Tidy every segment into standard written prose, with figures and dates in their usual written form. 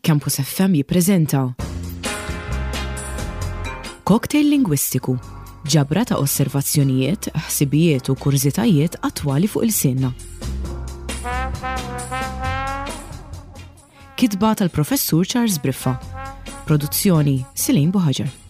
Campus FM jippreżenta Cocktail Lingwistiku, ġabra ta' osservazzjonijiet, ħsibijiet u kurżitajiet attwali fuq ilsienna. Kitba tal-Professur Charles Briffa. Produzzjoni Silin Buħaġar.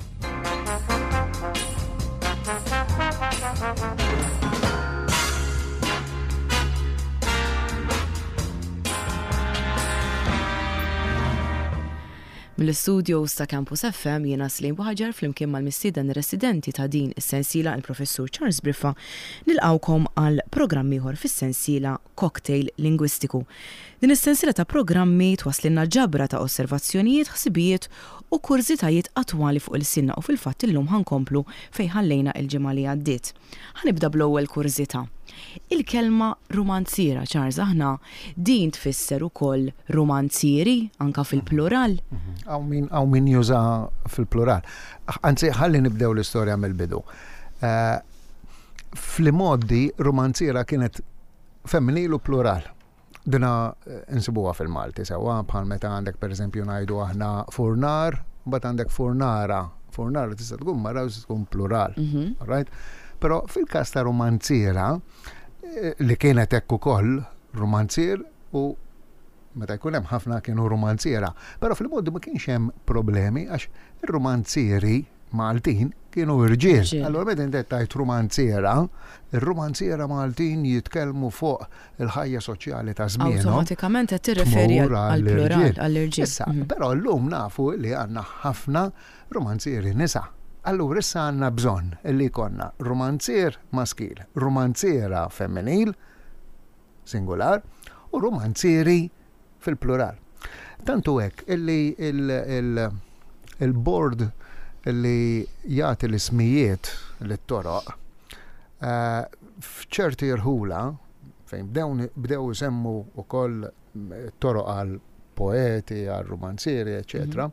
Mill-istudios ta' Campus FM jiena Slim Buħaġar flimkien mal-mistieden residenti ta' din is-sensiela il-Professur Charles Briffa nilqgħukom għal programm ieħor fis-sensiela Cocktail Lingwistiku. Din is-sensiela ta' programmi twasslilna ġabra ta' osservazzjonijiet, ħsibijiet u kurżitajiet attwali fuq ilsienna u fil-fatt illum ħa nkomplu fejn ħallejna il-ġimgħa li għaddiet. Ħa nibda bl-ewwel kurżità. Il-kelma rumanziera, Charles, aħna din tfisser ukoll rumanzieri, anka fil-plural? Hawn min hawn min jużaha fil-plural. Anzi, ħalli nibdew l-istorja mill-bidu. Eh, fl-imgħoddi rumanziera kienet femminil u plural. Dina eh, insibuha fil-Malti sewwa bħal meta għandek pereżempju ngħidu aħna furnar, mbagħad għandek furnara. Furnara tista' tkun mara u tista' tkun plural. Mhm. Right? Però fil-każ ta' romanziera eh, li kienet hekk ukoll romanzier u meta jkun hemm ħafna kienu romanziera. Però fil-mod ma kienx hemm problemi għax ir-romanzieri Maltin kienu irġiel. Allura meta inti tgħid rumanziera, ir-rumanziera Maltin jitkellmu fuq il-ħajja soċjali ta' żmienhom. Awtomatikament qed tirreferi għall-plural, għall-irġiel. Issa, mhm. però llum nafu li għandna ħafna rumanzieri nisa. Allura issa għandna bżonn li jkollna rumanzier maskil, rumanziera femminil, singular, u rumanzieri fil-plural. Tant hu hekk illi il-bord li jagħti l-ismijiet lit-toroq eh, f'ċerti rħula fejn bdew isemmu wkoll toroq għal poeti, għal romanzieri, eċetera.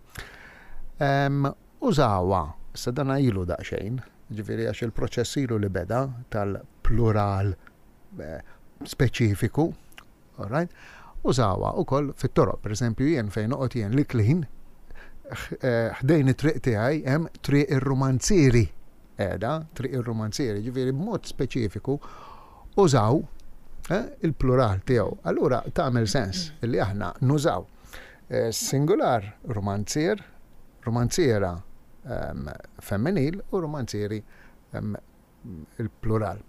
Mhm. Użawha, issa dan ilu daqsxejn, ġifieri għax il-proċess ilu li beda tal-plural eh, speċifiku Alright? Użawha wkoll fit-toroq, pereżempju jien fejn noqgħod jien l-Iklin, eh, ħdejn it-triq tiegħi hemm triq ir-rumanzieri qiegħda, triq ir-rumanzieri, ġifieri b'mod speċifiku użaw eh, il-plural tiegħu. Allura tagħmel sens li aħna nużaw eh, singular rumanzier, rumanziera ehm, femminil u rumanzieri ehm, il-plural.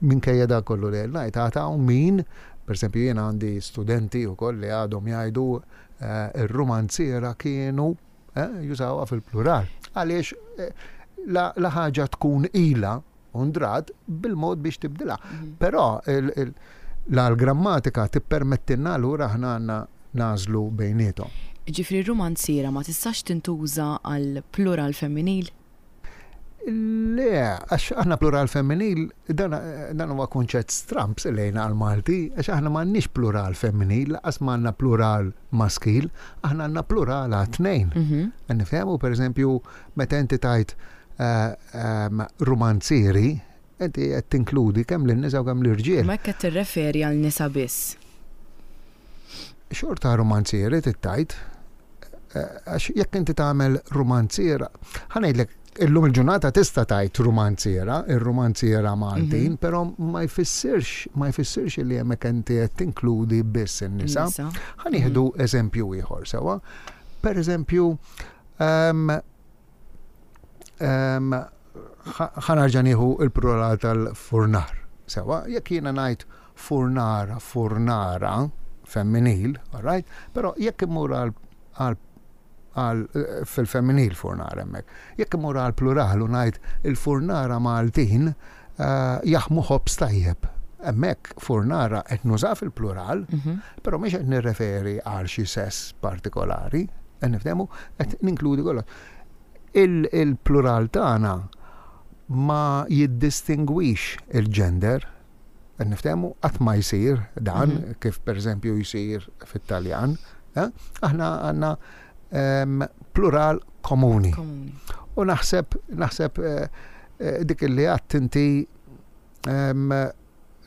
Minkejja dak kollu li qed ngħid, għad hawn min, pereżempju jien għandi studenti wkoll li għadhom jgħidu eh, ir-rumanziera kienu eh, jużawha fil-plural. Għaliex eh, la, la ħaġa tkun ilha undrat bil-mod biex tibdilha. Mhm. Però la l-grammatika tippermettilna allura aħna għandna nagħżlu bejniethom. Ġifri rumanziera ma tistax tintuża għal plural femminil? Le, għax aħna plural femminil, dan huwa kunċett stramb lejna għal-Malti, għax aħna m'għandniex plural femminil, laqas m'għandna plural maskil, aħna għandna plural għat-tnejn. Mhm. Nifhemu, per eżempju, meta inti tajt eh, ehm, romanzieri, inti qed tinkludi kemm lin-nisa u kemm l-irġiel. Ma hekk qed tirreferi għal nisa biss. Xorta romanzieri tittajt, Għax jekk inti tagħmel rumanziera, ħa ngħidlek illum il-ġurnata tista' tgħid rumanziera, ir-rumanziera Maltin, mhm. però ma jfissirx ma jfissirx li hemmhekk inti qed tinkludi biss in-nisa. Ħa nieħdu mhm. eżempju ieħor sewwa. Per eżempju, ehm, ehm, ħa nerġa' nieħu il-plural tal-furnar. Sewwa, jekk jiena ngħid furnara, furnara, femminil, all right? Però jekk immur għal għal għal fil-femminil furnara hemmhekk. Jekk immur għal plural u ngħid il-furnara Maltin eh, jaħmu ħobż tajjeb. Hemmhekk furnara qed nuża fil-plural, mhm. però mhix qed nirreferi għal xi sess partikolari, qed niftehmu, qed ninkludi kollox. Il-plural tagħna ma jiddistingwix il-gender, Qed niftehmu qatt ma jsir dan mhm. kif pereżempju jsir fit-Taljan. Eh? Aħna għandna ehm, plural komuni. U naħseb naħseb eh, eh, dik li għadt inti ehm,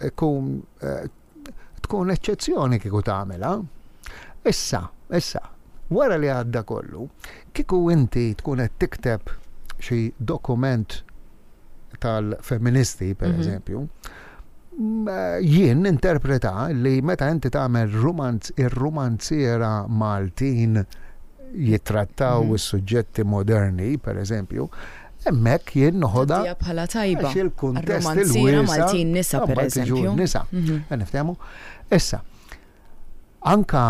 ikun tkun eċċezzjoni kieku tagħmilha. Issa, issa, Wara li għadda kollu, kieku inti tkun qed tikteb xi dokument tal-feministi, per eżempju, jien interpreta li meta inti tagħmel rumanz ir-rumanziera Maltin jittrattaw is-suġġetti moderni, per eżempju, hemmhekk jien noħodha bħala tajba. Għax il-kuntest il-wiesa' Maltin nisa, per eżempju. Nisa, niftehmu. Issa, anka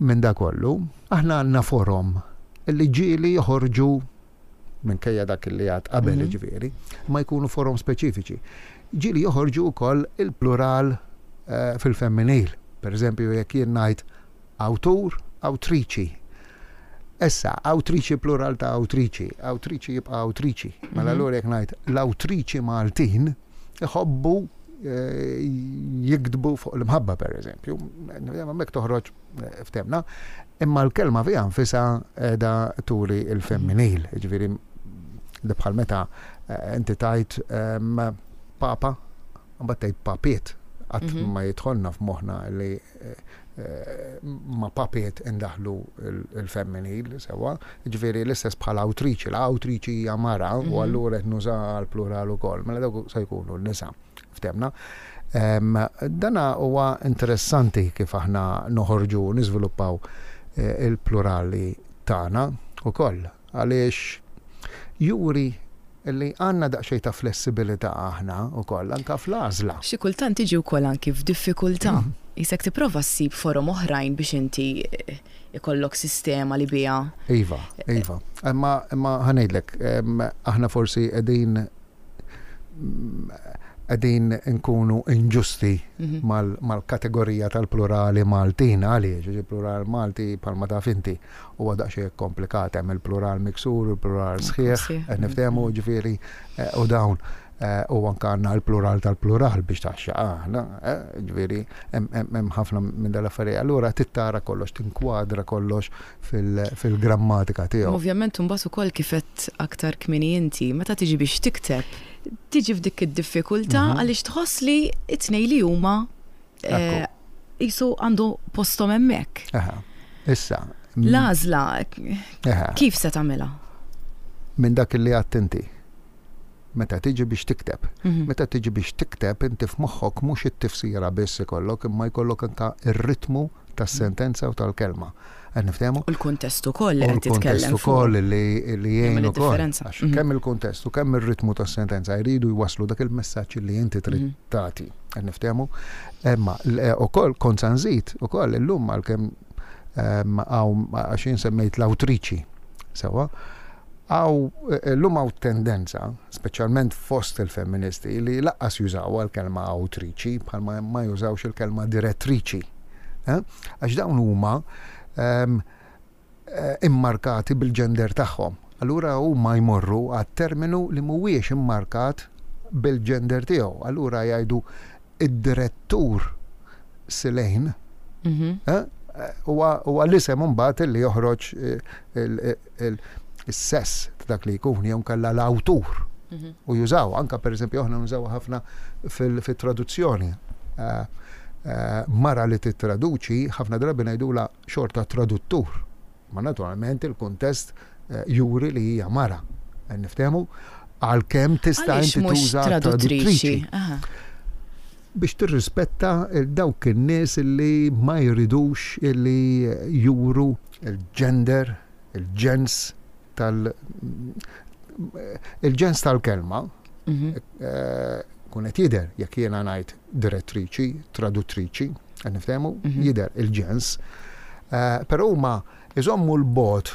minn da kollu, aħna għandna forom li ġieli joħorġu minkejja dak li għad qabel mhm. ġifieri, ma jkunu forom speċifiċi. Ġieli joħorġu wkoll il-plural eh, fil-femminil. Per eżempju, jekk jien ngħid awtur, awtriċi. Issa, awtriċi plural ta' awtriċi, awtriċi jibqa' awtriċi. Mela mhm. allura jekk ngħid l-awtriċi Maltin iħobbu eh, jiktbu fuq l-imħabba per eżempju. Hemmhekk toħroġ ftemna, imma l-kelma fiha nfisha qiegħda turi l-femminil, jiġifieri li bħal meta eh, inti tajt ehm, papa, mbagħad tgħid papiet, qatt mhm. ma jidħolna f'moħħna li eh, eh, ma papiet indaħlu il-femminil sewa, ġifieri l-istess bħal awtriċi, l-awtriċi hija mara u mhm. allura qed nuża l-plural ukoll, mela dawk se jkunu n-nisa. Ftemna. Dana huwa interessanti kif aħna noħorġu u niżviluppaw eh, il-plurali tagħna ukoll għaliex juri li għandna daqsxejn ta' flessibilità aħna wkoll anka fl-għażla. Xi kultant tiġi wkoll anki f'diffikultà. Qisek tipprova ssib forom oħrajn biex inti eh, ikollok sistema li biha. Iva, iva. Imma imma ħa ngħidlek, aħna forsi qegħdin qegħdin nkunu inġusti mhm. mal-kategorija tal-plurali Maltin għaliex il-plural Malti bħalma taf inti huwa daqsxejn komplikat hemm il-plural miksur, il-plural sħiħ, qed niftehmu mhm. ġifieri eh, u dawn eh, u anke għandna l-plural tal-plural biex taxxa aħna, eh, ġifieri hemm ħafna minn dal-affarijiet. Allura tittara kollox, tinkwadra kollox fil-grammatika tiegħu. Ovvjament imbagħad ukoll kif għedt aktar kmieni inti, meta tiġi biex tikteb, tiġi f'dik id-diffikultà mhm. għaliex tħoss li t-tnej li huma eh, qisu għandu posthom hemmhekk. Issa. L-għażla kif se tagħmilha? Minn dak li għadt inti meta tiġi biex tikteb. Mhm. Meta tiġi biex tikteb inti f'moħħok mhux it-tifsira biss ikollok imma jkollok anka ir-ritmu tas-sentenza u tal-kelma. Qed niftehmu? U l-kuntest ukoll li qed titkellem. U l-kuntest ukoll li jgħin ukoll. Għax mhm. kemm il-kuntest u kemm ir-ritmu tas-sentenza jridu jwasslu dak il-messaġġ li inti trid mhm. tagħti. Qed niftehmu? Imma eh, ukoll kont sa nżid ukoll illum għalkemm ehm, għax jien semmejt l-awtriċi. Sewa, għaw eh, l-lum għaw tendenza, speċjalment fost il-femministi, li laqqas jużaw għal-kelma awtriċi, bħalma ma jużawx il-kelma direttriċi. Eh? Għax dawn huma ehm, eh, immarkati bil-ġender tagħhom. Allura huma jmorru għat-terminu li mhuwiex immarkat bil-ġender tiegħu. Allura jgħidu id-direttur Silejn mhm. eh, huwa l-isem imbagħad li joħroġ is-sess ta' dak li jkun jew kella l-awtur. Mhm. U jużaw, anka pereżempju aħna nużaw ħafna fil-traduzzjoni. Eh, eh, mara li tittraduċi ħafna drabi ngħidula xorta traduttur. Ma naturalment il-kuntest eh, juri li hija mara. Niftehmu għalkemm tista' inti tuża traduttriċi. Biex tirrispetta dawk in-nies li ma jridux li juru il-gender, il-ġens tal il-ġens tal-kelma mhm. eh, kun qed jidher jekk jiena ngħid direttriċi, traduttriċi, qed niftehmu, mhm. jidher il-ġens. Eh, però huma iżommu l-bot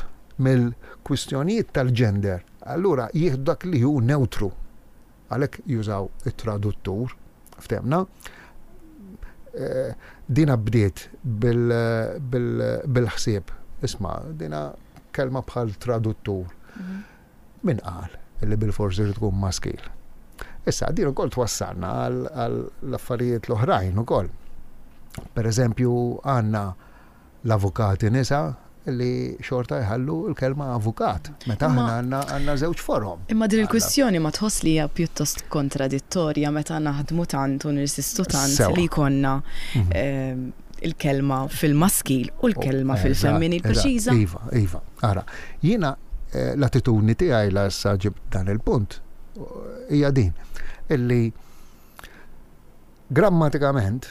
mill-kwistjonijiet tal-ġender, allura jieħdu dak li hu neutru. Għalhekk jużaw it-traduttur, ftehmna. Eh, dina bdiet bil-ħsieb, isma' dina kelma bħal traduttur. Mhm. Min qal li bil-forsi trid tkun maskil? Issa, din ukoll twassalna għall-affarijiet l-oħrajn ukoll. Per eżempju, għandna l-avukati nisa li xorta jħallu l-kelma avukat. Meta aħna għandna għandna żewġ forom. Imma din il-kwistjoni ma tħoss li hija pjuttost kontradittorja meta naħdmu tant u nirsistu tant li jkollna mhm. ehm, il-kelma fil-maskil u l-kelma fil-femminil preċiża. Iva, iva. Ara, jiena eh, l-attitudni tiegħi la issa ġibt dan il-punt hija din illi grammatikament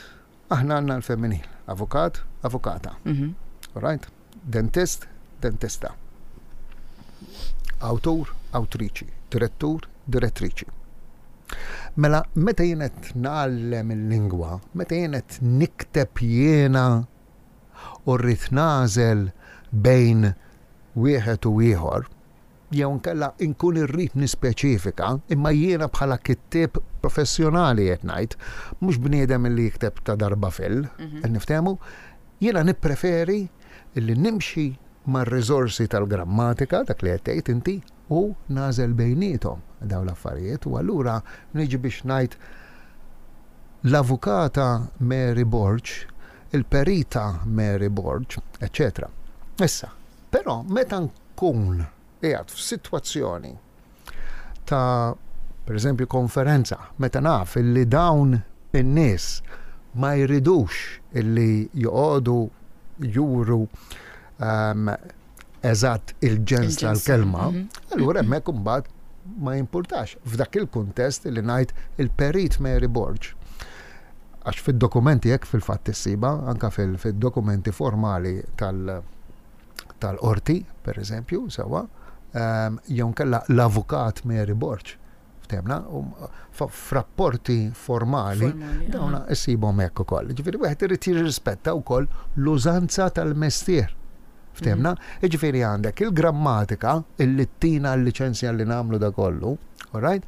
aħna għandna l-femminil, avukat, avukata. Mhm. Right? Dentist, dentista. Awtur, awtriċi. Direttur, direttriċi. Mela, meta jien qed ngħallem il-lingwa, meta jien qed nikteb jiena u rrid nagħżel bejn wieħed u ieħor, jew inkella nkun irrid nispeċifika, imma jiena bħala kittieb professjonali qed ngħid, mhux bniedem li jikteb ta' darba fil, qed niftehmu, jiena nippreferi li nimxi mar-riżorsi tal-grammatika, dak li qed tgħid inti, u nagħżel bejniethom dawn l-affarijiet u allura niġi biex ngħid l-avukata Mary Borg, il-perita Mary Borg, eċċetera. Issa, però meta nkun qiegħed f'sitwazzjoni ta' pereżempju konferenza, meta naf illi dawn in-nies ma jridux illi joqogħdu juru um, eżatt il-ġens tal-kelma, mhm. allura hemmhekk imbagħad ma jimpurtax f'dak il-kuntest li ngħid il-perit Mary Borg. Għax fid-dokumenti hekk fil-fatt issiba, anka fil-dokumenti formali tal- tal-qorti, per eżempju, sewa, ehm, jew nkella l-avukat Mary Borg, ftemna, f'rapporti formali, dawna issibhom hekk ukoll. Ġifieri wieħed irid jirrispetta wkoll l-użanza tal-mestier. Ftemna? Mhm. Ġifieri għandek il-grammatika illi tina l-liċenzja li nagħmlu da kollu, all right?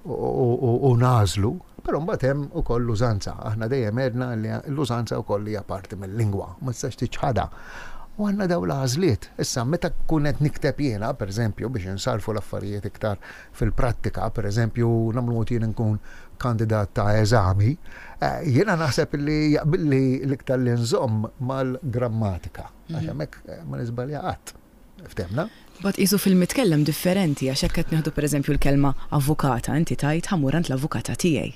U nagħżlu, però mbagħad hemm ukoll l-użanza. Aħna dejjem għedna li l-użanza wkoll hija parti mill-lingwa, ma tistax tiċħadha. U għandna dawn l-għażliet. Issa meta nkun qed nikteb jiena, pereżempju, biex insarrfu l-affarijiet iktar fil-prattika, pereżempju, nagħmlu mod jien nkun kandidat ta' eżami, eh, jiena naħseb li jaqbilli l-iktar li nżomm mal-grammatika, għax mhm. hemmhekk eh, ma niżbalja qatt. Ftemna? Mbagħad qisu fil-mitkellem differenti għax hekk qed nieħdu pereżempju l-kelma avukata, inti tgħid ħa mmur għand l-avukata tiegħi.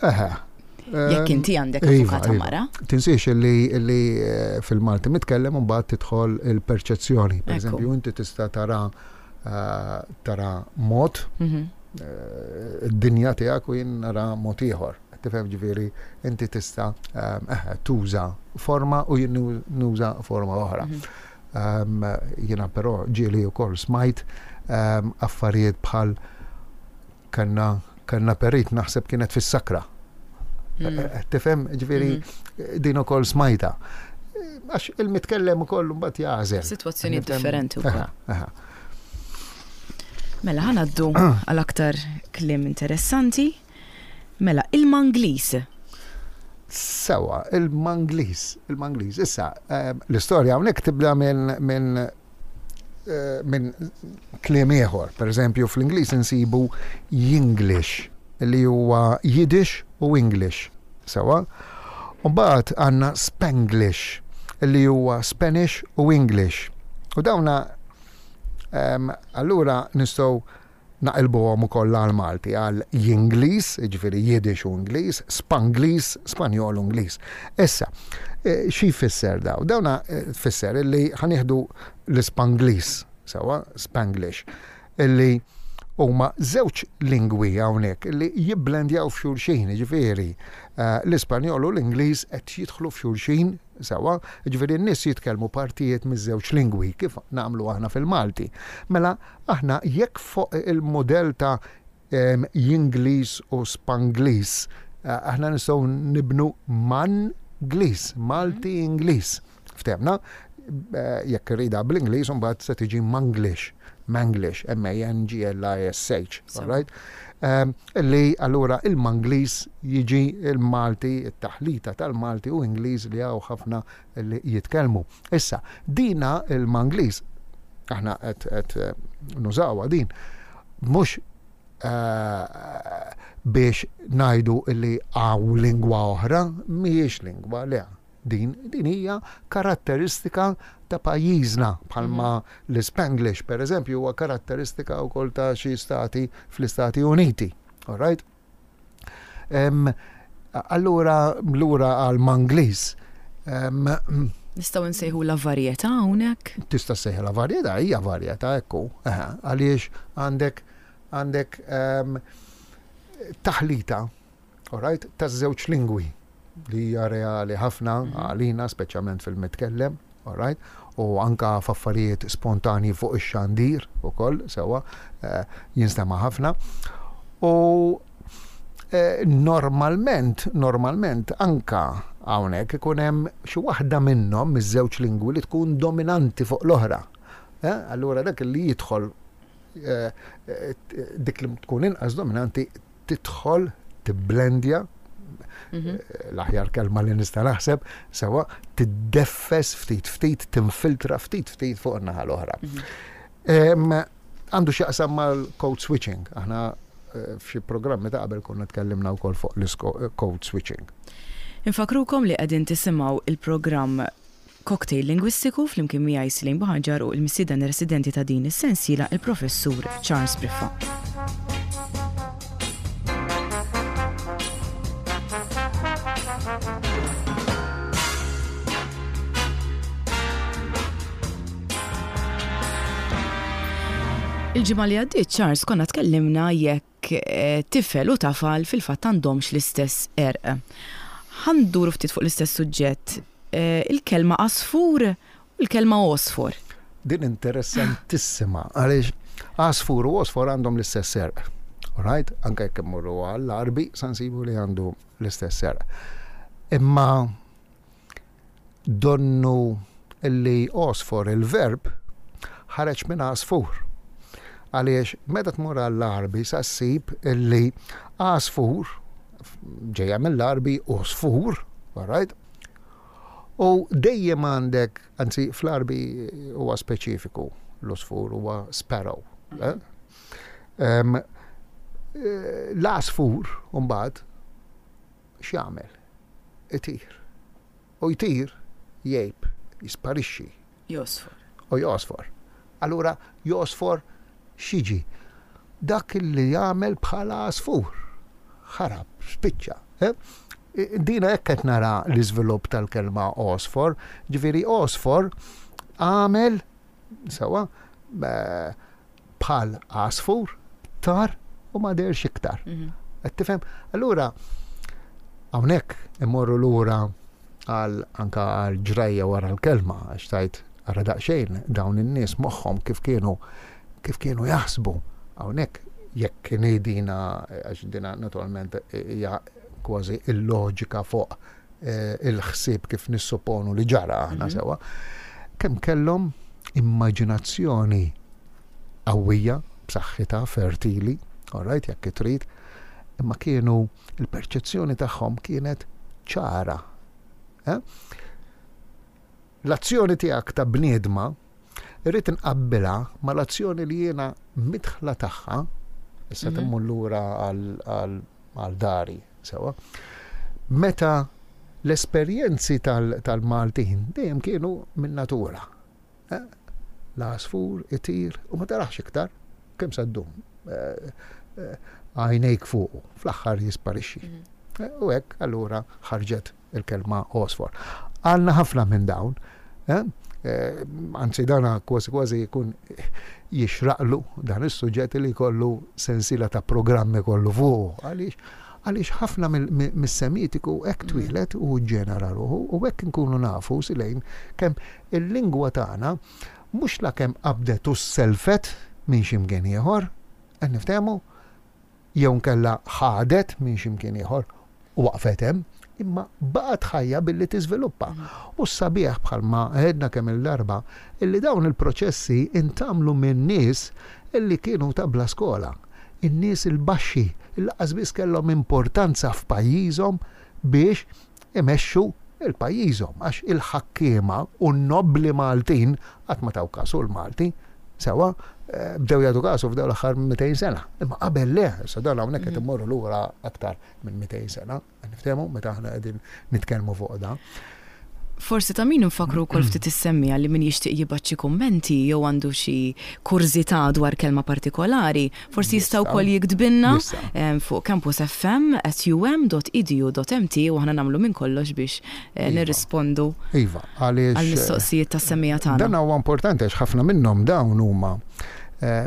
Eħe. Jekk inti għandek iva, avukata iva. mara. Tinsiex li eh, fil-Malti mitkellem mbagħad tidħol il-perċezzjoni. Pereżempju inti tista' tara eh, tara mod mhm. eh, id-dinja tiegħek u jien nara mod ieħor. Tifhem ġifieri inti tista' ehm, tuża forma u jien nuża forma oħra. Mhm. Ehm, jiena però ġieli wkoll smajt ehm, affarijiet bħal kellna kellna perit naħseb kienet fis-sakra. Mm. Eh, eh, tifhem ġifieri mm. din ukoll smajta. Għax il-mitkellem ukoll mbagħad jagħżel. Sitwazzjoni differenti wkoll. Mela ħanaddu għal aktar kliem interessanti. Mela, il-Mangliż. Sewa, il-Mangliż, il-Mangliż. Issa, ehm, l-istorja hawnhekk tibda minn min, eh, min kliem ieħor. Per eżempju, fl-Ingliż insibu Yinglish, li huwa Yiddish u English. Sewa. U mbagħad għandna Spanglish, li huwa Spanish u English. U dawna ehm, allura nistgħu Naqilbuhom ukoll għall-Malti, għal Jingliż, jiġifieri Yiddish u Ingliż, Spangliż, Spanjol u Ingliż. Issa, xi jfisser daw? Dawna tfisser illi ħa nieħdu l-Ispangliż, sewwa, Spanglish, illi huma żewġ lingwi hawnhekk illi jibblendjaw f'xulxin, jiġifieri l-Ispanjol u l-Ingliż qed jidħlu f'xulxin, sewwa, jiġifieri n-nies jitkellmu partijiet miż-żewġ lingwi kif nagħmlu aħna fil-Malti. Mela Aħna jekk fuq il-mudell ta' Jingliż u Spangliż, aħna nistgħu nibnu Mangliż, Malti-Ingliż. Ftehmna? Jekk irridha bl-Ingliż imbagħad se tiġi Manglish, Manglish, M-A-N-G-L-I-S-H, all right? Li allura il-Mangliż jiġi il-Malti, it-taħlita tal-Malti u Ingliż li hawn ħafna li jitkellmu. Issa, dina il-Mangliż, aħna qed eh, nużawha din, mhux eh, biex ngħidu li hawn lingwa oħra, mhijiex lingwa le. Din, din hija karatteristika ta' pajjiżna bħalma mhm. l-Spanglish per eżempju huwa karatteristika wkoll ta' xi stati fl-Istati Uniti. All right? Allura lura għal Mangliż. Nistgħu nsejħulha varjetà hawnhekk? Tista' ssejħilha varjetà, hija varjetà hekk hu. Għaliex għandek għandek taħlita, alright, taż-żewġ lingwi li hija reali ħafna għalina, speċjalment fil-mitkellem, alright, u anka f'affarijiet spontanji fuq ix-xandir ukoll sewwa eh, jinstema' ħafna. U eh, normalment, normalment anka hawnhekk ikun hemm xi waħda minnhom miż-żewġ lingwi li tkun dominanti fuq l-oħra. Eh, allura dak li jidħol dik li tkun inqas dominanti tidħol tibblendja mhm. l-aħjar kelma li nista' naħseb, sewa tiddeffes ftit ftit, tinfiltra ftit ftit fuq in-naħa l-oħra. Mhm. Għandu x'jaqsam mal-code switching. Aħna eh, f'xi programmi ta' qabel konna tkellimna wkoll fuq l-code switching. Infakrukom li qegħdin tisimgħu il-programm Cocktail Lingwistiku flimkien miegħi Celine Buhagiar u l-mistieden residenti ta' din is-sensiela il-Professur Charles Briffa. Il-ġimgħa li għaddiet Charles konna tkellimna jekk tifel u tafal fil-fatt għandhomx l-istess għerq. Ħa nduru ftit fuq l-istess suġġett, il-kelma għasfur u l-kelma għosfor. Din interessantissima għaliex għasfur u għosfor għandhom l-istess għerq. Alright? Anke jekk immorru għall-Għarbi sa nsibu li għandu l-istess għerq. Imma Donnu li għosfor il-verb ħareġ minn għasfur. Għaliex meta tmur għall-Għarbi sa ssib li għasfur ġejja mill-Għarbi għosfur, all right? U dejjem għandek, anzi fl-Għarbi huwa speċifiku, l-għosfur huwa sparrow. Eh? L-għasfur, mbagħad, x'jagħmel? Itir. U jtir, jgħib, jisparixxi. Josfor. U josfor. Allura josfor x'jiġi? Dak li jagħmel bħala għasfur. Ħarab, spiċċa. Eh? Dina hekk qed nara l-iżvilupp tal-kelma għosfor, ġifieri għosfor għamel sewwa eh, bħal għasfur, tar u ma deherx iktar. Mhm. Qed tifhem? Allura hawnhekk immorru lura għal anka għal ġrajja wara l-kelma għax tajt ara daqsxejn dawn in-nies moħħhom kif kienu kif kienu jaħsbu. Hawnhekk jekk ngħidina għax dina naturalment hija kważi il-loġika fuq eh, il-ħsieb kif nissupponu li ġara aħna mhm. sewa, kemm kellhom immaġinazzjoni qawwija, b'saħħitha, fertili, all right, jekk trid, imma kienu il-perċezzjoni tagħhom kienet ċara. Eh? L-azzjoni tiegħek ta' bniedma irrid inqabbilha mal-azzjoni li jiena midħla tagħha, issa mhm. timmur lura għal dari, sewa. Meta l-esperjenzi tal-Maltin dejjem kienu minn natura. Eh? L-għasfur itir u ma tarax iktar, kemm sa ddum. Eh, eh, għajnejk fuqu, fl-aħħar jisparixxi. Mhm. U hekk allura ħarġet il-kelma għosfor. Għandna ħafna minn dawn, anzi dana kważi kważi jkun jixraqlu dan is-suġġett li jkollu sensiela ta' programmi kollu fuqu. Għaliex għaliex ħafna mis-Semitiku hekk mm. twieled u ġenera ruħu u hekk inkunu nafu silejn kemm il-lingwa tagħna mhux la kemm qabdet u sselfet minn xi mkien ieħor, qed niftehmu, jew inkella ħadet minn xi mkien ieħor u waqfet hemm, imma baqgħet ħajja billi tiżviluppa. U s-sabiħ bħalma għedna kemm-il darba illi dawn il-proċessi intgħamlu minn nies illi kienu ta' bla skola, in-nies il-baxxi illi lanqas biss kellhom importanza f'pajjiżhom biex imexxu 'l pajjiżhom għax il-ħakkiema u n-nobbli Maltin qatt ma taw kasu l-Malti sewwa bdew jagħtu kasu f'dawn l-aħħar 200 sena. Imma qabel le, issa dan hawnhekk qed immorru lura aktar minn 200 sena, niftehmu meta aħna qegħdin nitkellmu fuq dan. Forsi ta' min infakkru wkoll ftit is-semmiegħa li min jixtieq jibgħat xi kummenti jew għandu xi kurżità dwar kelma partikolari, forsi jista' wkoll jiktbilna fuq campusfm@um.edu.mt u aħna nagħmlu minn kollox biex nirrispondu Iva, għaliex għall-mistoqsijiet tas-semmiegħa tagħna. Dan huwa importanti għax ħafna minnhom dawn huma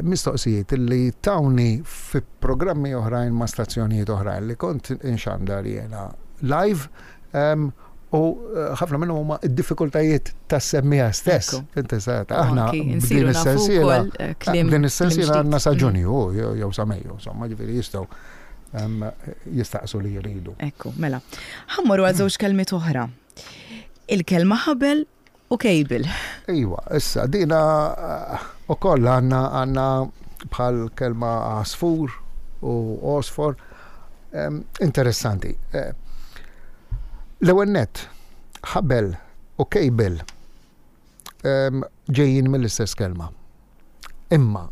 mistoqsijiet li tawni fi programmi oħrajn ma' stazzjonijiet oħrajn li kont inxandar jiena live u ħafna minnhom huma d-diffikultajiet tas-semmiegħa stess. Inti sa aħna b'din is-sensiela b'din is-sensiela għandna sa Ġunju jew sa Mejju, insomma, ġifieri jistgħu jistaqsu li jridu. Ekku, mela. Ħa mmorru għal żewġ kelmiet oħra. Il-kelma ħabel u cable. Iwa, issa dina ukoll għandna għandna bħal kelma għasfur u għosfor. Interessanti. Eh, l-ewwel nett, ħabel u cable ġejjin mill-istess kelma. Imma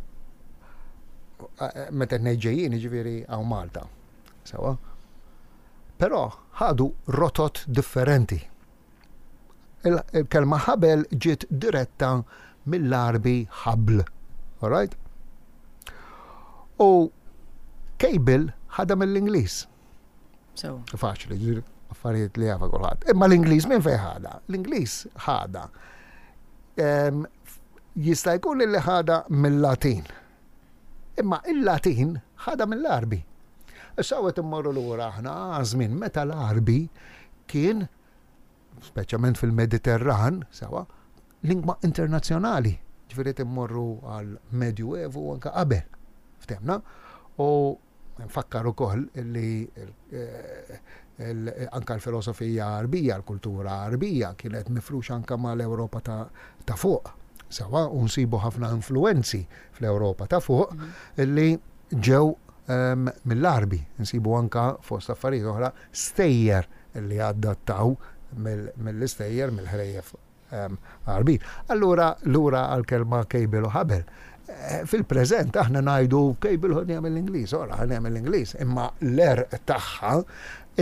eh, meta ngħid ġejjin jiġifieri hawn Malta. Sewa. Però ħadu rotot differenti. Il-kelma ħabel ġiet diretta mill-Għarbi ħabl. All right? U cable ħadha mill-Ingliż. So. Faċli, affarijiet li jafa kulħadd. Imma l-Ingliż minn fejn ħadha? L-Ingliż ħadha. Jista' jkun li ħadha mill-Latin. Imma il-Latin ħadha mill-Għarbi. Issa qed immorru lura aħna żmien meta l-Għarbi kien speċjalment fil-Mediterran, sewa, lingwa internazzjonali. Ġifieri immorru għal Medju Evu anka qabel. Ftemna? U nfakkar ukoll li eh, anka l-filosofija Għarbija, l-kultura Għarbija kienet mifruxa anka mal-Ewropa ta' fuq. Sewa, u nsibu ħafna influenzi fl-Ewropa ta' fuq mhm. li ġew ehm, mill-Għarbi. Nsibu anka fost affarijiet oħra stejjer li adattaw mill-istejjer, mill-ħrejjef Għarbin. Allura lura għall-kelma cable u ħabel. Eh, fil-preżent aħna ngħidu cable ħodniha mill-Ingliż, ora ħadniha mill-Ingliż, imma l-għerq tagħha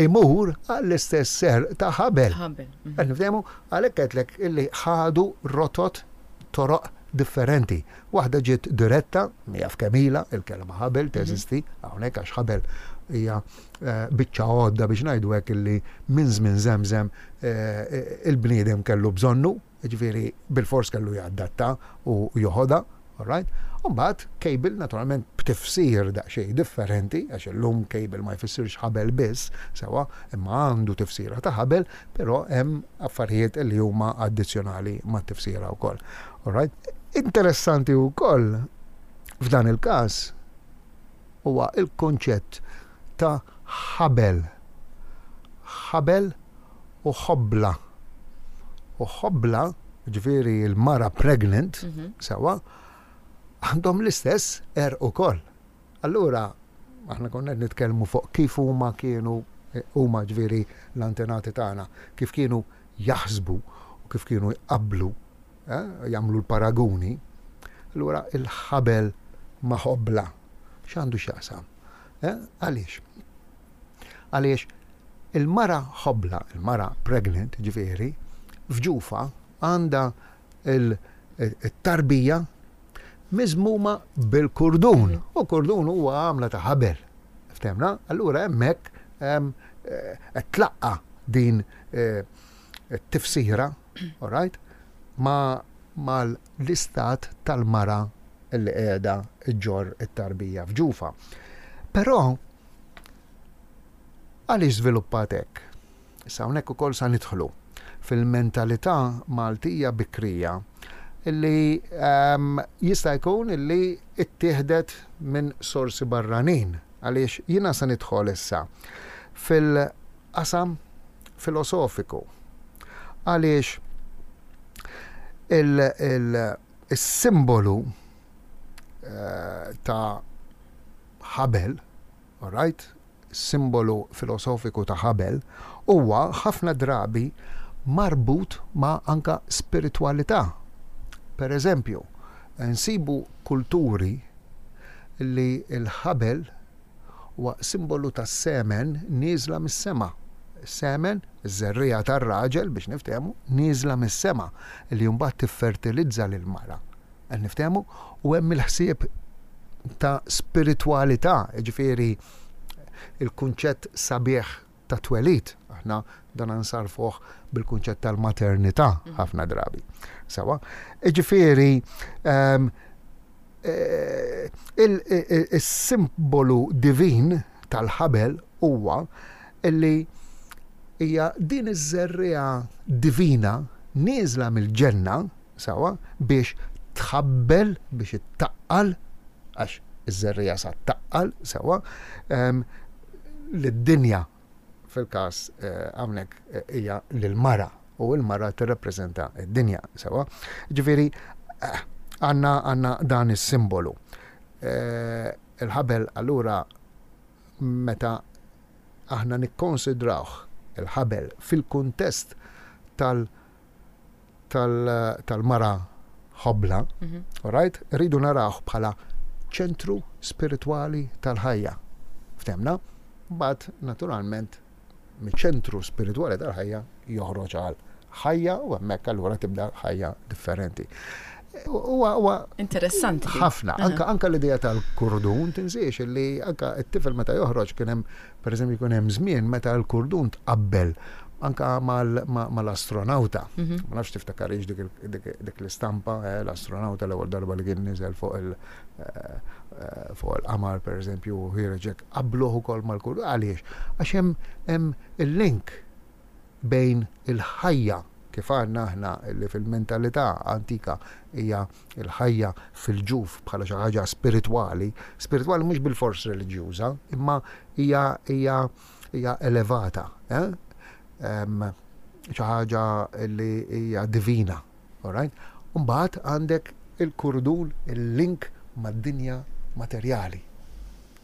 imur għall-istess għerq ta' ħabel. Ħabel. Mhm. Qed niftehmu għalhekk għedtlek illi ħadu rotot toroq differenti. Waħda ġiet diretta, jaf kemm ilha, il-kelma ħabel mhm. teżisti hawnhekk għax ħabel hija eh, biċċa għodda biex ngħidu hekk illi minn żmien żemżem eh, il-bniedem kellu bżonnu, ġifieri bilfors kellu jadatta u joħodha, alright? Umbagħad cable naturalment b'tifsir daqsxejn differenti, għax illum cable ma jfissirx ħabel biss, sewa, imma għandu tifsira ta' ħabel, però hemm affarijiet li huma addizzjonali mat-tifsira wkoll. Alright? Interessanti wkoll f'dan il-każ huwa l-kunċett ta' ħabel. Ħabel u ħobla. U ħobla, ġifieri l-mara pregnant, mhm. sewa, għandhom l-istess er ukoll. Allura, aħna konna qed nitkellmu fuq kif huma kienu huma ġifieri l-antenati tagħna, kif kienu jaħsbu u kif kienu jqabblu jagħmlu l-paraguni, allura il-ħabel ma' ħobla x'għandu x'jaqsam? Għaliex? Għaliex il-mara ħobla, il-mara pregnant, ġifieri, f'ġufha għandha il-tarbija miżmuma bil-kurdun. Mm. U kurdun huwa għamla ta' ħabel. Ftemna? Allura hemmhekk qed tlaqqa din eh, tifsira all right, ma mal-istat tal-mara li qiegħda ġġorr it-tarbija f'ġufha. Però għaliex żviluppat hekk? Issa hawnhekk ukoll sa nidħlu fil-mentalità Maltija bikrija li ehm, jista' jkun li ittieħdet minn sorsi barranin għaliex jiena sa nidħol issa fil-qasam filosofiku. Għaliex il-simbolu eh, ta' ħabel, alright, simbolu filosofiku ta' ħabel, huwa ħafna drabi marbut ma' anka spiritwalità. Per eżempju, nsibu kulturi li l-ħabel huwa simbolu tas-semen nieżla mis-sema. Semen, iż-żerriegħa tar-raġel biex niftehmu, nieżla mis-sema li mbagħad tiffertilizza lill-mara. Qed niftehmu? U hemm il-ħsieb ta' spiritwalità, jiġifieri il-kunċett sabiħ ta' twelid, aħna dan nsarfuh bil-kunċett tal-maternità mhm. ħafna drabi. Sawa, jiġifieri ehm, eh, il-simbolu divin tal-ħabel huwa illi hija din iż-żerriegħa divina nieżla mill-ġenna sawa biex tħabbel biex ittaqqal għax iż-żerriegħa sa taqqal sawa ehm, lid-dinja fil-każ eh, hawnhekk eh, hija lill-mara u l-mara tirrappreżenta d-dinja sewa. Ġifieri eh, għandna għandna dan is-simbolu. Il-ħabel allura meta aħna nikkonsidrawh il-ħabel fil-kuntest tal- tal-mara ħobla, mhm. right? Rridu narawh bħala ċentru spiritwali tal-ħajja. Ftemna? Bat, naturalment, miċ-ċentru spiritwali tal-ħajja joħroġ għal ħajja u hemmhekk allura tibda ħajja differenti. Huwa interessanti. Ħafna, anka anka l-idea tal-kurdun tinsiex li anka t-tifel meta joħroġ kien hemm pereżempju jkun hemm żmien meta l-kurdun tqabbel anka mal-astronauta. Mhm. Ma nafx tiftakarix dik l-istampa, eh, l-astronauta l-ewwel darba li kien niżel fuq il- eh, eh, fuq il-qamar pereżempju u ħireġek qabluh ukoll mal-kurdun. Għaliex? Għax hemm il-link bejn il-ħajja kif għandna aħna li fil-mentalità antika hija l-ħajja fil-ġuf bħala xi ħaġa spiritwali, spiritwali mhux bilfors reliġjuża, imma hija hija hija elevata, eh? xi ħaġa li hija divina, all right? Mbagħad għandek il-kurdun, il-link mad-dinja materjali.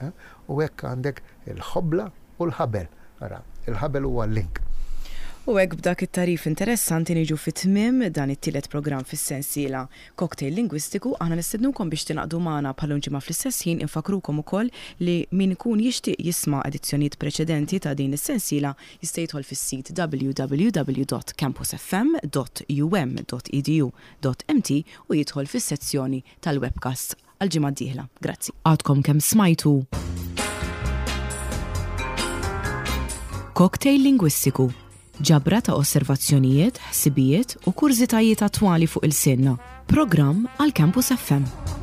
Eh? U hekk għandek il-ħobla u l-ħabel. Ara, il-ħabel huwa l-link. U hekk b'dak it-tagħrif interessanti niġu fi tmiem dan it-tielet programm fis-sensiela Cocktail Lingwistiku. Aħna nistednukom biex tingħaqdu magħna bħal-lum ġimgħa fl-istess ħin. Infakkrukom ukoll li min ikun jixtieq jisma' edizzjonijiet preċedenti ta' din is-sensiela jista' jidħol fis-sit www.campusfm.um.edu.mt u jidħol fis-sezzjoni tal-webcast għall-ġimgħa d-dieħla. Grazzi. Għadkom kemm smajtu Cocktail Lingwistiku, ġabra ta' osservazzjonijiet, ħsibijiet u kurżitajiet attwali fuq ilsienna. Programm għal Campus FM.